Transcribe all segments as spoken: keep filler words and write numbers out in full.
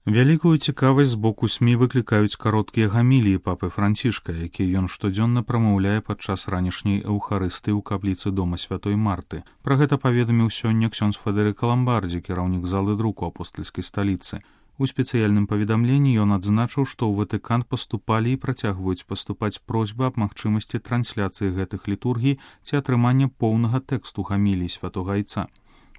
Вялікую цікавасць з боку СМІ выклікаюць кароткія гаміліі папы Францішка, якія ён штодзённа прамаўляе падчас ранішняй эўхарыстыі ў капліцы дома святой Марты. Пра гэта паведаміў сёння ксёндз Федэрыка Ламбардзі, кіраўнік залы друку апостальскай сталіцы. У спецыяльным паведамленні ён адзначыў, што ў Ватыкан паступалі і працягваюць паступаць просьбы аб магчымасці трансляцыі гэтых літургій ці атрымання поўнага тэксту гамілій святога Айца.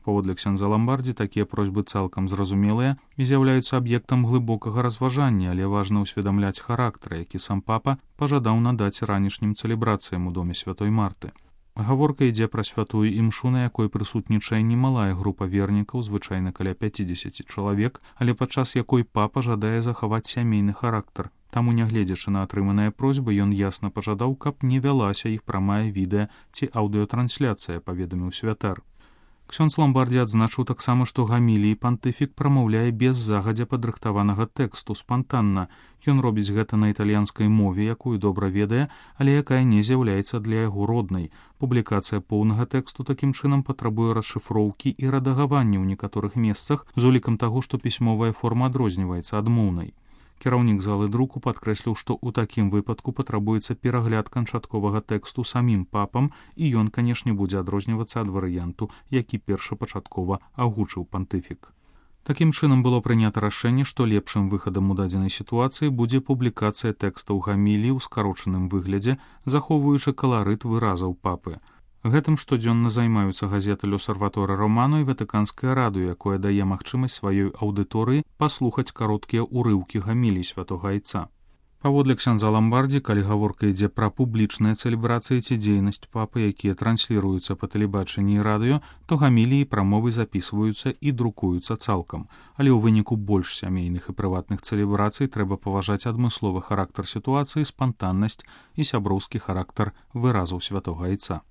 Паводле ксёндза Ламбардзі, такія просьбы цалкам зразумелыя і з'яўляюцца аб'ектам глыбокага разважання, але важна ўсведамляць характар, які сам папа пажадаў надаць ранішнім цэлебрацыям у доме святой Марты. Гаворка ідзе пра святую імшу, на якой прысутнічае немалая група вернікаў, звычайна каля пяцідзесяці чалавек, але падчас якой папа жадае захаваць сямейны характар. Таму, нягледзячы на атрыманыя просьбы, ён ясна пажадаў, каб не вялася іх прамая відэа ці аўдыётрансляцыя, паведаміў святар. Ксёндз Ламбардзі адзначыў таксама, што гаміліі пантыфік прамаўляе без загадзя падрыхтаванага тэксту, спантанна. Ён робіць гэта на італьянскай мове, якую добра ведае, але якая не з'яўляецца для яго роднай. Публікацыя поўнага тэксту такім чынам патрабуе расшыфроўкі і рэдагавання ў некаторых месцах з улікам таго, што пісьмовая форма адрозніваецца ад моўнай. Кіраўнік залы друку падкрэсліў, што ў такім выпадку патрабуецца перагляд канчатковага тэксту самім папам, і ён, канешне, будзе адрознівацца ад варыянту, які першапачаткова агучыў пантыфік. Такім чынам было прынята рашэнне, што лепшым выхадам у дадзенай сітуацыі будзе публікацыя тэкстаў гамілій у скарочаным выглядзе, захоўваючы каларыт выразаў папы. Гэтым штодзённа займаюцца газеты «L'Osservatore Romano» і Ватыканскае радыё, якое дае магчымасць сваёй аўдыторыі паслухаць кароткія ўрыўкі гамілій святога Айца. Паводле ксёндза Ламбардзі, калі гаворка ідзе пра публічныя цэлебрацыі ці дзейнасць папы, якія трансліруюцца па тэлебачанні і радыё, то гаміліі прамовы запісваюцца і друкуюцца цалкам. Але ў выніку больш сямейных і прыватных цэлебрацый трэба паважаць адмысловы характар сітуацыі, спантаннасць і сяброўскі характар выразаў святога Айца.